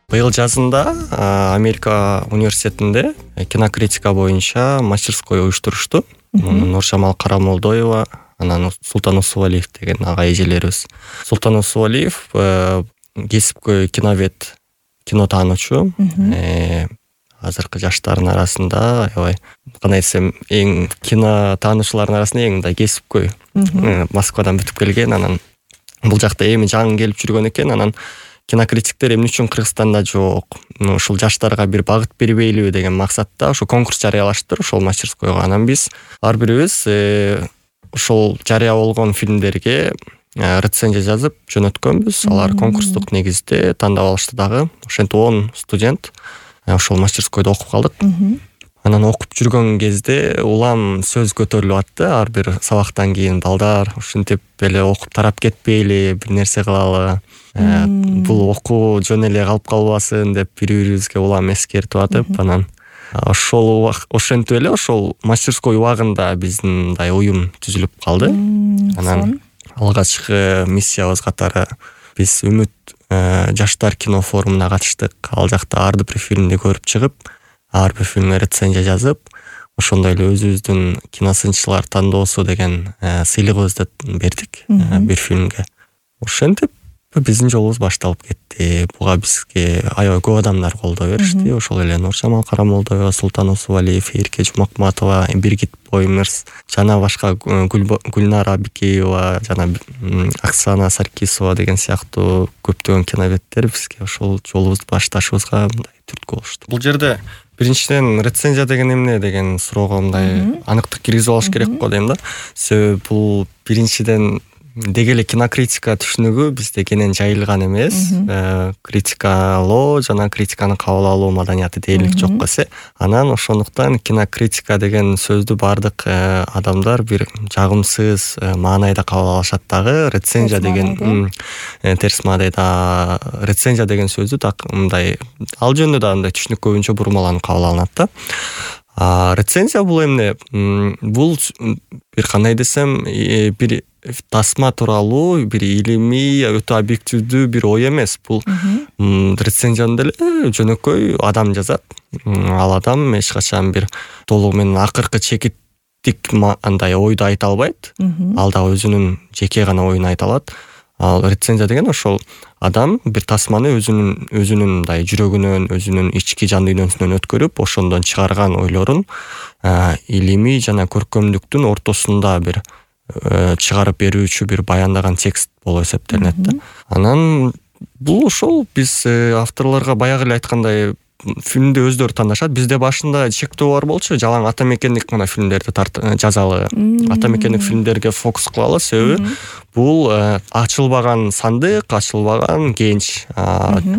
Быйыл жазында Америка университетинде кинокритика боюнча мастерской уюштурушту. Нуржамал Карамолдоева, анан Султан Усубалиев деген ага эжелерибиз. Султан Усубалиев кесипкөй киновед, кинотаануучу. Азыркы жаштардын арасында, кандай десем, эң кинотаануучулардын арасында эң мындай кесипкөй. Москвадан бүтүп келген, анан бул жакта эми жаңы келип жүргөн экен, анан кинокритиктер эмне үчүн Кыргызстанда жок? Ушул жаштарга бир багыт бербейлиби деген максатта ошо конкурс жарыялаштыр ошол мастерскойго. Анан биз ар бирибиз ошол жарыя болгон фильмдерге рецензия жазып жөнөткөнбүз. Алар конкурстук негизде тандап алышты дагы. Ошентип 10 студент ошол мастерскойдо окуп калдык. Анан окуп жүргөн кезде улам сөз көтөрүлүп атты. Ар бир сабактан кийин балдар ушинтип эле окуп тарап кетпейли, бир нерсе кылалы. Бул окуу жөн эле калып калбасын деп бири-бирибизге улам эскертип атып, анан ошентип эле ошол мастерской убагында биздин мындай уюм түзүлүп калды. Анан алгачкы миссиябыз катары биз Үмүт жаштар кино форумуна катыштык. Ал жакта ар бир фильмди көрүп чыгып, ар бир фильмге рецензия жазып, ошондой эле өзүбүздүн киносынчылар тандоосу деген сыйлыгыбызды бердик бир фильмге. Ошентип биздин жолубуз башталып кетти. Буга бизге аябай көп адамдар колдоо беришти. Ошол эле Нуржамал Карамолдоева, Султан Усубалиев, Эрке Жумакматова, Биргит Боймырс, жана башка Гүлнара Бикеева, жана Оксана Саркисова деген сыяктуу көптөгөн киноведтер бизге ошол жолубузду башташыбызга мындай түрткү болушту. Бул жерде биринчиден рецензия деген эмне деген суроого мындай аныктык киргизип алыш керек го дейм да. Себеби бул биринчиден деги эле кинокритика түшүнүгү бизде кенен жайылган эмес. Критикалоо жана критиканы кабыл алуу маданияты дээрлик жок эсе. Анан ошондуктан кинокритика деген сөздү бардык адамдар бир жагымсыз маанайда кабыл алышат дагы. Рецензия деген терс маанайда рецензия деген сөздү так мындай ал жөнүндө да андай түшүнүк көбүнчө бурмаланып кабыл алынат да. Рецензия бул эмне? Бул бир кандай десем, бир тасма тууралуу бир илимий, өтө объективдүү бир ой эмес. Бул рецензияны деле жөнөкөй адам жазат. Ал адам эч качан бир толугу менен акыркы чекиттик андай ойду айта албайт. Ал да өзүнүн жеке гана оюн айта алат. Ал рецензия деген ошол адам бир тасманы өзүнүн мындай жүрөгүнөн, өзүнүн ички жан дүйнөсүнөн өткөрүп, ошондон чыгарган ойлорун илимий жана көркөмдүктүн ортосунда бир чыгарып берүүчү бир баяндаган текст болуп эсептелинет да. Анан бул ошол биз авторлорго баягы эле айткандай фильмди өздөрү тандашат. Бизде башында чектөө бар болчу, жалаң ата мекендик гана фильмдерди жазалы. Ата мекендик фильмдерге фокус кылалы, себеби бул ачылбаган сандык, ачылбаган кенч.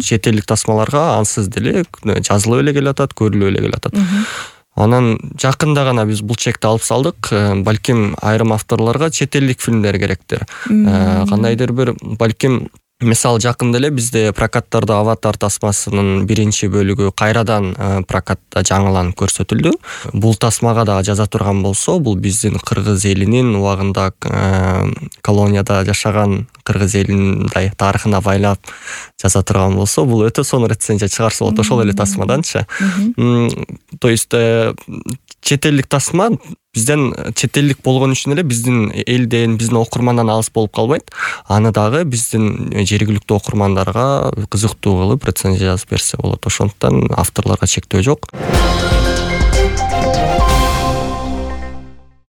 Чет элдик тасмаларга ансыз деле жазылып эле келатат, көрүлүп эле келатат. Анан жакында гана биз бул чекти алып салдык. Балким айрым авторлорго чет элдик фильмдер керектир. Кандайдыр бир балким мисалы жакында эле бизде прокаттарда Аватар тасмасынын биринчи бөлүгү кайрадан прокатта жаңыланып көрсөтүлдү. Бул тасмага да жаза турган болсо, бул биздин кыргыз элинин убагында колонияда жашаган кыргыз элинин мындай тарыхына байлап жаза турган болсо, бул өтө сонун рецензия чыгарса болот ошол эле тасмаданчы. То есть чет элдик тасма бизден чет элдик болгон үчүн эле биздин элден, биздин окурмандан алыс болуп калбайт. Аны дагы биздин жергиликтүү окурмандарга кызыктуу кылып рецензия жазып берсе болот. Ошондуктан авторлорго чектөө жок.